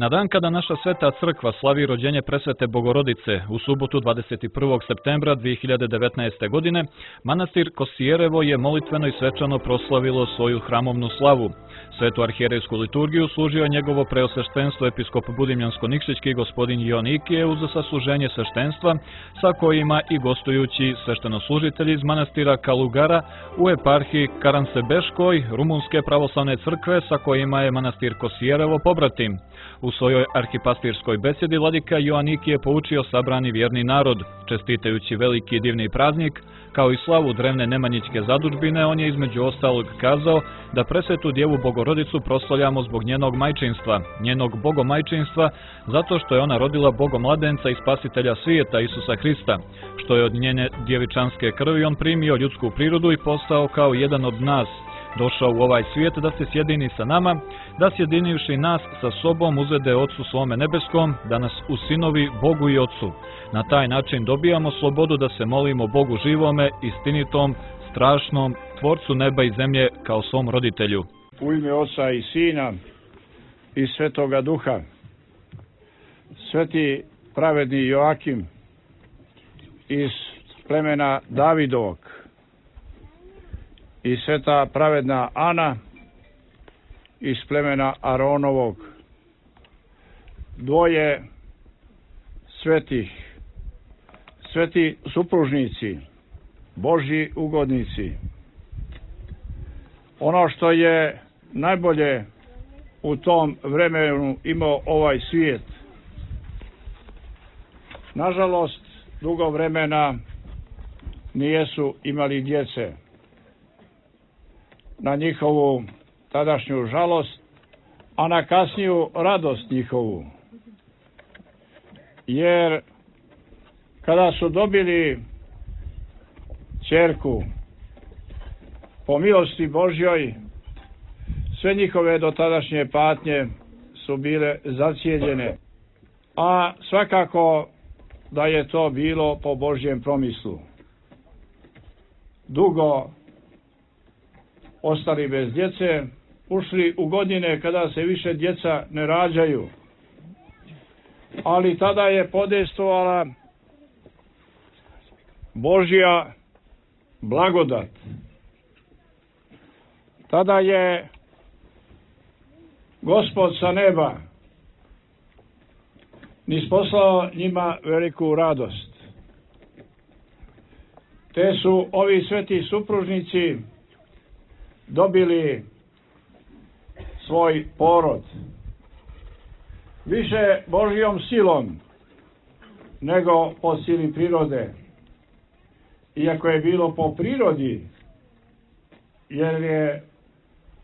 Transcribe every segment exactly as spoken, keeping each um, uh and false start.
Na dan kada naša sveta crkva slavi rođenje presvete Bogorodice u subotu dvadeset prvog septembra dvije hiljade devetnaeste. godine, manastir Kosijerevo je molitveno i svečano proslavilo svoju hramovnu slavu. Svetu arhijerejsku liturgiju služio njegovo preosveštenstvo episkop Budimljansko-Nikšićki gospodin Joanikije uz sasluženje sveštenstva, sa kojima i gostujući sveštenoslужitelji iz manastira Kalugara u eparhiji Karansebeškoj Rumunske pravoslavne crkve, sa kojima je manastir Kosijerevo pobratim. U svojoj arhipastirskoj besedi vladika Joanikije poučio sabrani vjerni narod. Čestitajući veliki i divni praznik, kao i slavu drevne nemanjićke zadužbine, on je između ostalog kazao da presvetu Djevu Bogorodicu proslavljamo zbog njenog majčinstva, njenog bogomajčinstva, zato što je ona rodila bogomladenca i spasitelja svijeta Isusa Hrista, što je od njene djevičanske krvi on primio ljudsku prirodu i postao kao jedan od nas, došao u ovaj svijet da se sjedini sa nama, da sjedinivši nas sa sobom uzvede Otcu svome nebeskom, da nas usinovi Bogu i Otcu. Na taj način dobijamo slobodu da se molimo Bogu živome, istinitom, strašnom, Tvorcu neba i zemlje kao svom roditelju. U ime Oca i Sina i Svetoga Duha, sveti pravedni Joakim iz plemena Davidovog i sveta pravedna Ana iz plemena Aronovog, dvoje svetih, sveti supružnici, Božji ugodnici. Ono što je najbolje u tom vremenu imao ovaj svijet, nažalost, dugo vremena nijesu imali djece. Na njihovu tadašnju žalost, a na kasniju radost njihovu. Jer kada su dobili ćerku, po milosti Božjoj, sve njihove dotadašnje patnje su bile zacijeljene, a svakako da je to bilo po Božjem promislu. Dugo ostali bez djece, ušli u godine kada se više djeca ne rađaju, ali tada je podejstvovala Božja blagodat. Tada je Gospod sa neba nisposlao njima veliku radost. Te su ovi sveti supružnici dobili svoj porod. Više Božjom silom nego po sili prirode. Iako je bilo po prirodi, jer je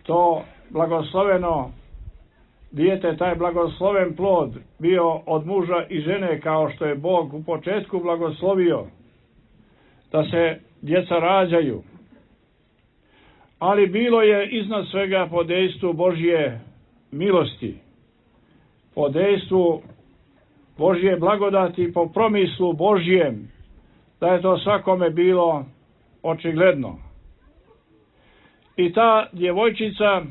to blagosloveno dijete, taj blagosloven plod bio od muža i žene, kao što je Bog u početku blagoslovio da se djeca rađaju. Ali bilo je iznad svega po dejstvu Božje milosti, po dejstvu Božje blagodati, po promislu Božjem, da je to svakome bilo očigledno. I ta djevojčica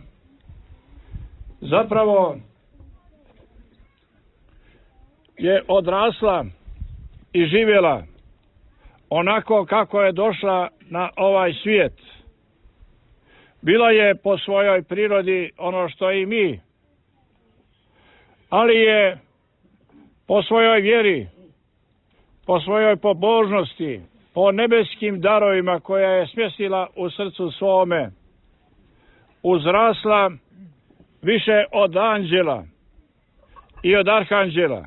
zapravo je odrasla i živjela onako kako je došla na ovaj svijet. Bila je po svojoj prirodi ono što i mi, ali je po svojoj vjeri, po svojoj pobožnosti, po nebeskim darovima koja je smjestila u srcu svome, uzrasla više od anđela i od arhanđela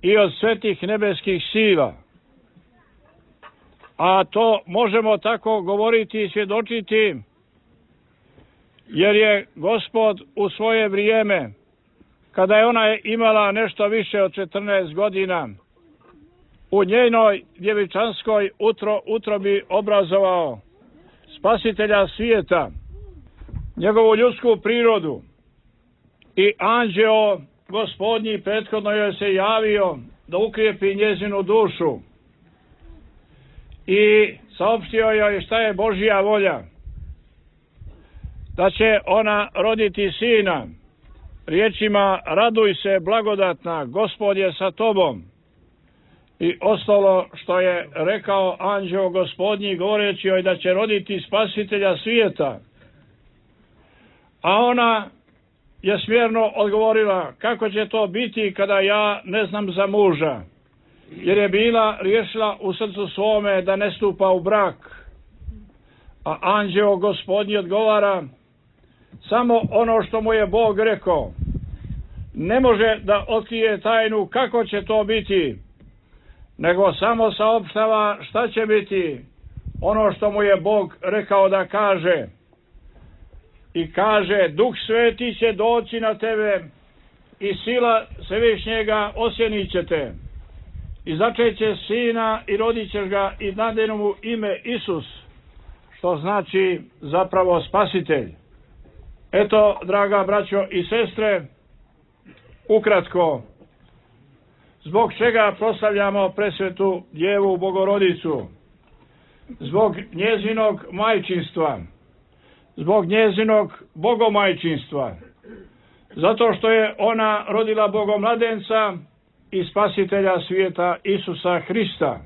i od svetih nebeskih sila. A to možemo tako govoriti i svjedočiti, jer je Gospod u svoje vrijeme, kada je ona imala nešto više od četrnaest godina, u njenoj djevičanskoj utro, utrobi obrazovao spasitelja svijeta, njegovu ljudsku prirodu, i anđeo Gospodnji prethodno joj se javio da ukrijepi njezinu dušu i saopštio joj šta je Božja volja, da će ona roditi sina riječima raduj se blagodatna, Gospod je sa tobom, i ostalo što je rekao anđeo Gospodnji govoreći joj da će roditi spasitelja svijeta. A ona je smjerno odgovorila, kako će to biti kada ja ne znam za muža, jer je bila riješila u srcu svome da ne stupa u brak. A anđeo Gospodnji odgovara, samo ono što mu je Bog rekao. Ne može da otkrije tajnu kako će to biti, nego samo saopštava šta će biti, ono što mu je Bog rekao da kaže. I kaže, Duh Sveti će doći na tebe i sila Svevišnjega osjenit će te. I začeće sina i rodit ćeš ga i nadenu mu ime Isus, što znači zapravo spasitelj. Eto, draga braćo i sestre, ukratko, zbog čega proslavljamo presvetu Djevu Bogorodicu? Zbog njezinog majčinstva, zbog njezinog bogomajčinstva, zato što je ona rodila bogomladenca i spasitelja svijeta Isusa Hrista,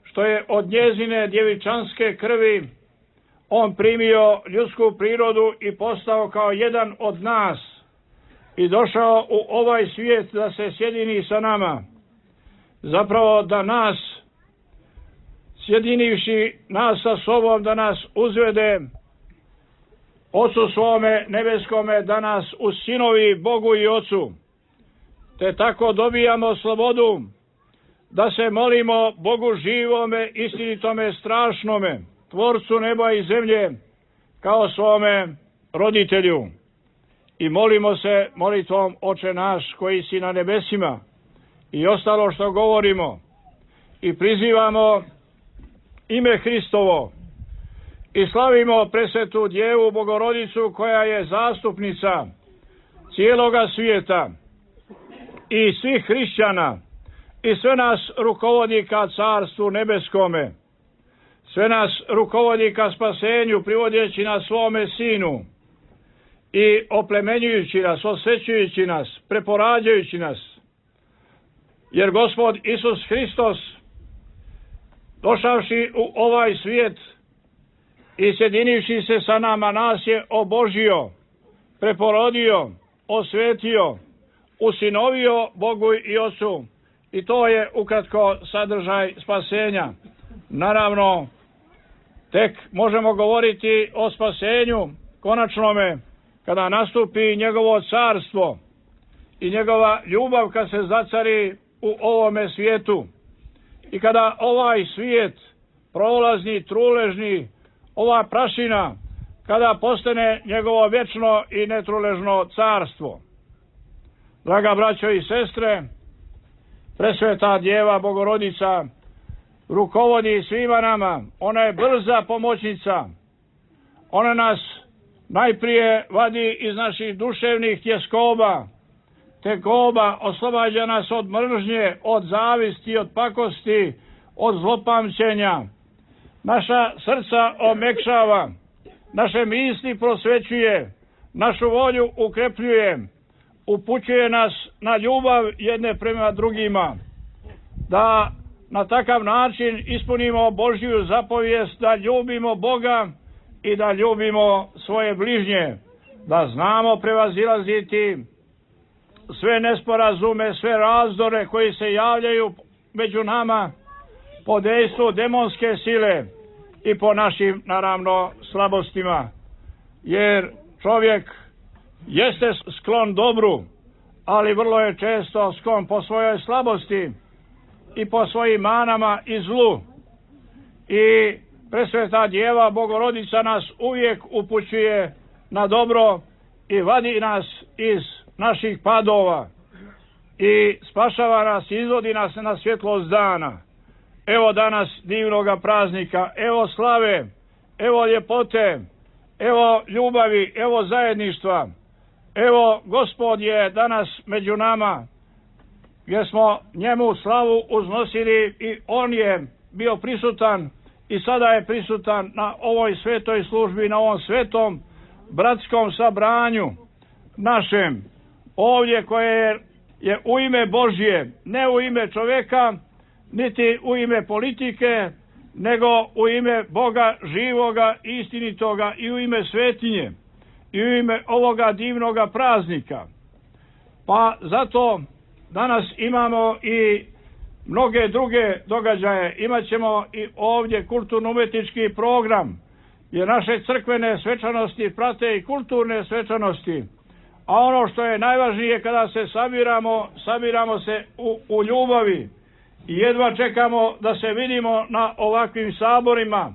što je od njezine djevičanske krvi on primio ljudsku prirodu i postao kao jedan od nas i došao u ovaj svijet da se sjedini sa nama, zapravo da nas, sjedinivši nas sa sobom, da nas uzvede Ocu svome nebeskome, da nas usinovi Bogu i Ocu, te tako dobijamo slobodu da se molimo Bogu živome, istinitome, strašnome, Tvorcu neba i zemlje, kao svome roditelju. I molimo se molitvom Oče naš koji si na nebesima, i ostalo što govorimo, i prizivamo ime Hristovo, i slavimo presvetu Djevu Bogorodicu koja je zastupnica cijeloga svijeta i svih hrišćana, i sve nas rukovodi ka Carstvu nebeskome, sve nas rukovodi ka spasenju, privodeći nas svome Sinu i oplemenjujući nas, osvećujući nas, preporađajući nas. Jer Gospod Isus Hristos, došavši u ovaj svijet i sjedinivši se sa nama, nas je obožio, preporodio, osvetio, usinovio Bogu i Ocu. I to je ukratko sadržaj spasenja. Naravno, tek možemo govoriti o spasenju konačnome kada nastupi njegovo carstvo i njegova ljubav kad se zacari u ovome svijetu. I kada ovaj svijet, prolazni, truležni, ova prašina, kada postane njegovo vječno i netruležno carstvo. Draga braćo i sestre, presveta Djeva Bogorodica rukovodi svima nama. Ona je brza pomoćnica. Ona nas najprije vadi iz naših duševnih tjeskoba, tegoba, oslobađa nas od mržnje, od zavisti, od pakosti, od zlopamćenja. Naša srca omekšava, naše misli prosvećuje, našu volju ukrepljuje, upućuje nas na ljubav jedne prema drugima, da na takav način ispunimo Božju zapovijest da ljubimo Boga i da ljubimo svoje bližnje, da znamo prevazilaziti sve nesporazume, sve razdore koji se javljaju među nama po dejstvu demonske sile i po našim, naravno, slabostima. Jer čovjek jeste sklon dobru, ali vrlo je često sklon po svojoj slabosti i po svojim manama i zlu. I presveta Djeva Bogorodica nas uvijek upućuje na dobro i vadi nas iz naših padova i spašava nas, izvodi nas na svjetlost dana. Evo danas divnoga praznika, evo slave, evo ljepote, evo ljubavi, evo zajedništva. Evo Gospod je danas među nama, gdje smo njemu slavu uznosili i on je bio prisutan i sada je prisutan na ovoj svetoj službi, na ovom svetom bratskom sabranju našem, ovdje koje je u ime Božje, ne u ime čovjeka, niti u ime politike, nego u ime Boga živoga, istinitoga i u ime svetinje i u ime ovoga divnoga praznika. Pa zato danas imamo i mnoge druge događaje. Imaćemo i ovdje kulturno-umetnički program, jer naše crkvene svečanosti prate i kulturne svečanosti. A ono što je najvažnije kada se sabiramo, sabiramo se u, u ljubavi. I jedva čekamo da se vidimo na ovakvim saborima,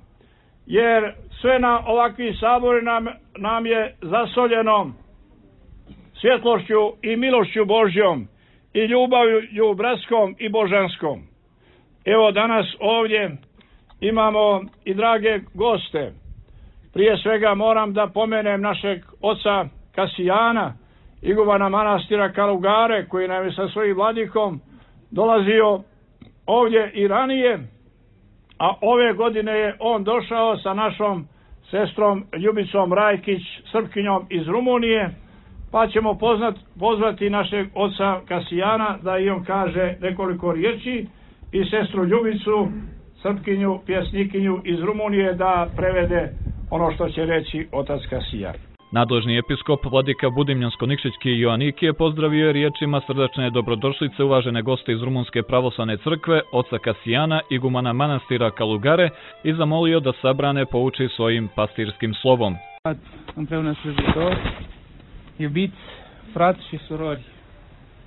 jer sve na ovakvim saborima nam, nam je zasoljeno svjetlošću i milošću Božjom i ljubavlju bratskom i božanskom. Evo danas ovdje imamo i drage goste. Prije svega moram da pomenem našeg oca Kasijana, igumana manastira Kalugare, koji nam je sa svojim vladikom dolazio ovdje i ranije, a ove godine je on došao sa našom sestrom Ljubicom Rajkić, Srpkinjom iz Rumunije, pa ćemo poznat, pozvati našeg oca Kasijana da i on kaže nekoliko riječi i sestru Ljubicu, Srpkinju, pjesnikinju iz Rumunije, da prevede ono što će reći otac Kasijan. Nadležni episkop vladika Budimljansko-Nikšićki Joanik je pozdravio riječima srdačne dobrodošlice uvažene goste iz Rumunske pravoslavne crkve, oca Kasijana, igumana manastira Kalugare, i zamolio da sabrane pouči svojim pastirskim slovom. Împreună slujitori, iubiți frați și surori.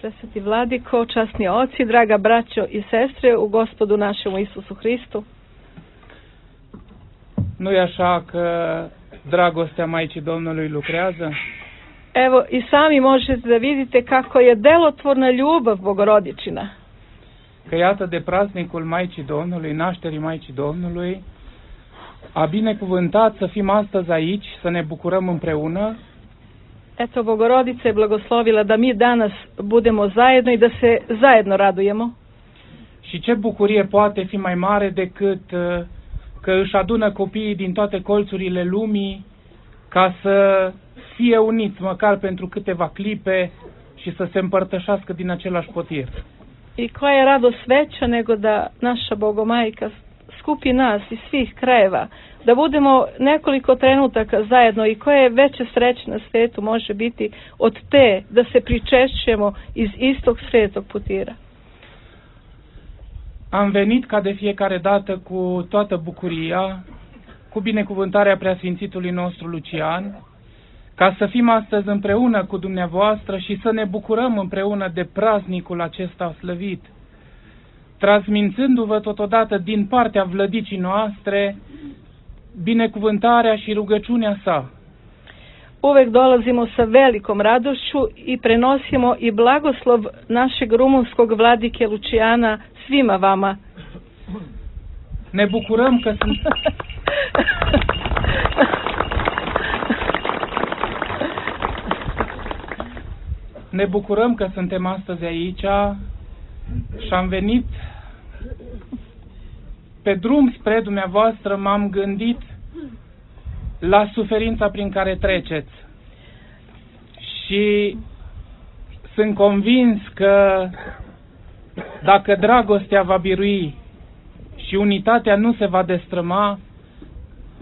Presveti vladiko, časni oci, draga braćo i sestre u Gospodu našemu Isusu Hristu. Nu-i așa că dragostea Maicii Domnului lucrează? Evo, i sami možete da vidite kako je delotvorna ljubav Bogorodičina. Că iată de praznicul Maicii Domnului, nașterii Maicii Domnului, a binecuvântat să fim astăzi aici, să ne bucurăm împreună. Eto, Bogorodica je blagoslovila da mi danas budemo zajedno i da se zajedno radujemo. Și ce bucurie poate fi mai mare decât că își adună copiii din toate colțurile lumii ca să fie uniți măcar pentru câteva clipe și să se împărtășească din același potir. I koja je radost veća nego da naša Bogomajka skupi nas iz svih krajeva, da budemo nekoliko trenutaka zajedno, i koje veće sreće na svetu može biti od te da se pričešćujemo iz istog svetog putira. Am venit ca de fiecare dată cu toată bucuria, cu binecuvântarea preasfințitului nostru Lucian, ca să fim astăzi împreună cu dumneavoastră și să ne bucurăm împreună de praznicul acesta slăvit, transmițându-vă totodată din partea vlădicii noastre binecuvântarea și rugăciunea sa. Uvek dolazimo sa velikom radošću i prenosimo i blagoslov našeg rumunskog vladike Lucijana svima vama. Ne bucurăm că sunt... Ne bucurăm că suntem astăzi aici și am venit pe drum spre dumneavoastră. M-am gândit la suferința prin care treceți și sunt convins că dacă dragostea va birui și unitatea nu se va destrăma,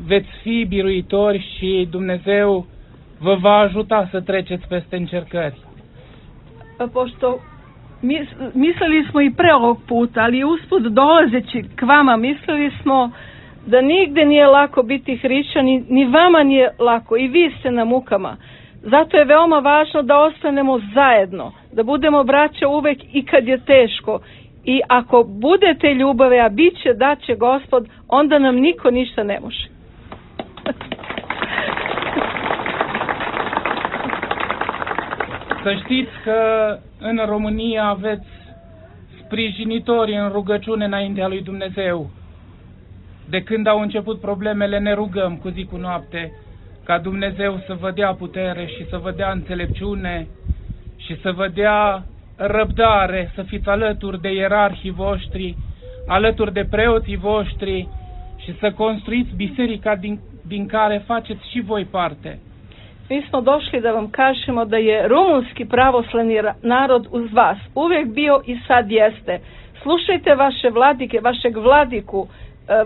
veți fi biruitori și Dumnezeu vă va ajuta să treceți peste încercări. Pošto mis, mislili smo i pre ovog puta, ali usput dolazeći k vama mislili smo da nigde nije lako biti hrišćan, ni, ni vama nije lako, i vi ste na mukama. Zato je veoma važno da ostanemo zajedno, da budemo braća uvek i kad je teško. I ako budete ljubave, a bit će da će Gospod, onda nam niko ništa ne može. Să știți că în România aveți sprijinitori în rugăciune înaintea lui Dumnezeu. De când au început problemele, ne rugăm cu zi cu noapte ca Dumnezeu să vă dea putere și să vă dea înțelepciune și să vă dea răbdare, să fiți alături de ierarhii voștri, alături de preoții voștri și să construiți biserica din, din care faceți și voi parte. mi smo došli da vam kažemo da je rumunski pravoslavni narod uz vas uvijek bio i sad jeste. Slušajte vaše vladike, vašeg vladiku,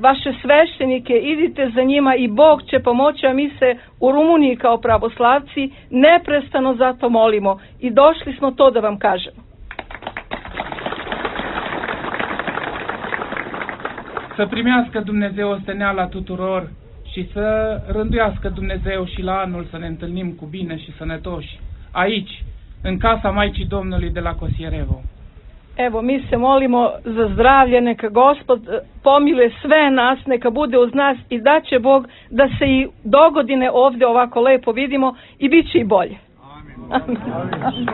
vaše sveštenike, idite za njima i Bog će pomoći, a mi se u Rumuniji kao pravoslavci neprestano zato molimo i došli smo to da vam kažemo. Să primească Dumnezeu osteneala tuturor și să rânduiască Dumnezeu și la anul să ne întâlnim cu bine și sănătoși, aici, în casa Maicii Domnului de la Cosierevo. Evo, mi se molimo za zdravlje, neka Gospod pomiluje sve nas, neka bude uz nas i da će Bog da se i dogodine ovdje ovako lepo vidimo i bit će i bolje. Amin. Amin. Amin.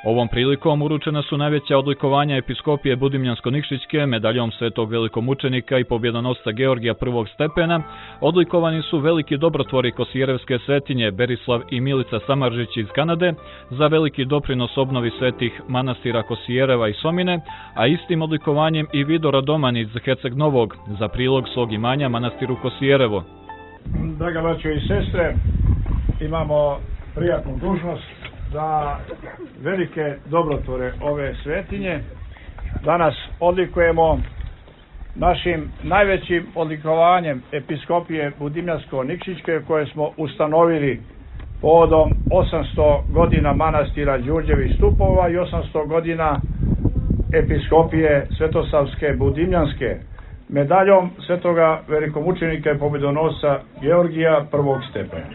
Ovom prilikom uručena su najveća odlikovanja episkopije Budimljansko-Nikšićke medaljom svetog velikomučenika i pobjedonosca Georgija prvog stepena. Odlikovani su veliki dobrotvori Kosjerevske svetinje Berislav i Milica Samaržić iz Kanade za veliki doprinos obnovi svetih manastira Kosjereva i Somine, a istim odlikovanjem i Vido Radoman iz Herceg Novog za prilog svog imanja manastiru Kosjerevo. Draga braćo i sestre, imamo prijatnu dužnost za velike dobrotvore ove svetinje. Danas odlikujemo našim najvećim odlikovanjem episkopije Budimljansko-Nikšićke koje smo ustanovili povodom osamsto godina manastira Đurđevih stupova i osamsto godina episkopije Svetosavske Budimljanske medaljom svetoga velikomučenika i pobjedonosca Georgija prvog stepena.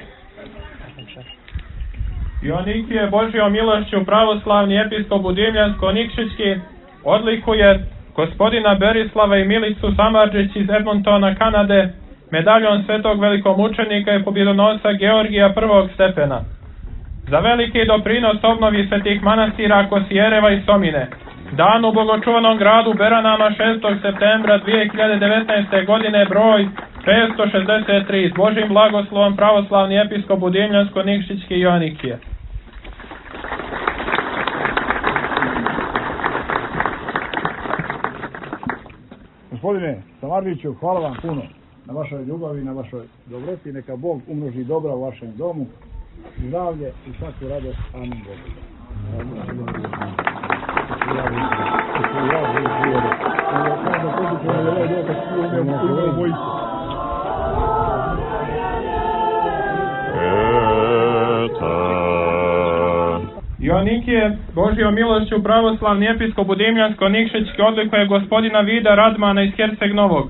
Joanikije Božjom milošću pravoslavni episkop Budimljansko-Nikšićki odlikuje gospodina Berislava i Milicu Samaržić iz Edmontona, Kanade, medaljom svetog velikomučenika i pobjedonosca Georgija prvog stepena. Za veliki doprinos obnovi svetih manastira Kosjereva i Somine, dan u bogočuvanom gradu Beranama šestog septembra dvije hiljade devetnaeste. godine broj petsto šezdeset tri s Božim blagoslovom pravoslavni episkop Budimljansko-Nikšićki Joanikije. Gospodine Samaržiću, hvala vam puno na vašoj ljubavi, na vašoj dobroti. Neka Bog umnoži dobra u vašem domu, zdravlje i svaku radost. Amin. Joanikije Božjom milošću pravoslavni episkop Budimljansko-Nikšićki odlikuje gospodina Vida Radmana iz Herceg Novog,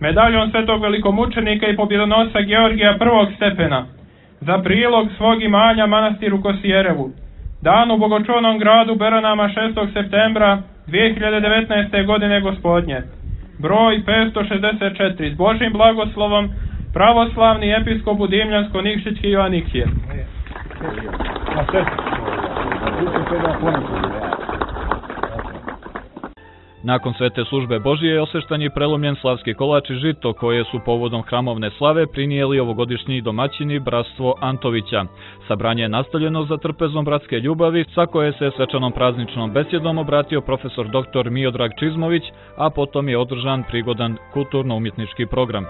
medaljom svetog velikomučenika i pobjedonosca Georgija prvog stepena, za prilog svog imanja manastiru Kosjerevu, dan u bogočuvanom gradu Beranama šestog septembra dvije hiljade devetnaeste. godine gospodnje, broj petsto šezdeset četiri s Božim blagoslovom pravoslavni episkop Budimljansko-Nikšićki Joanikije. Nakon svete službe Božije osveštan je prelomljen slavski kolač i žito koje su povodom hramovne slave prinijeli ovogodišnji domaćini bratstvo Antovića. Sabranje je nastavljeno za trpezom bratske ljubavi, sa koje se svečanom prazničnom besjedom obratio profesor doktor Miodrag Čizmović, a potom je održan prigodan kulturno-umjetnički program.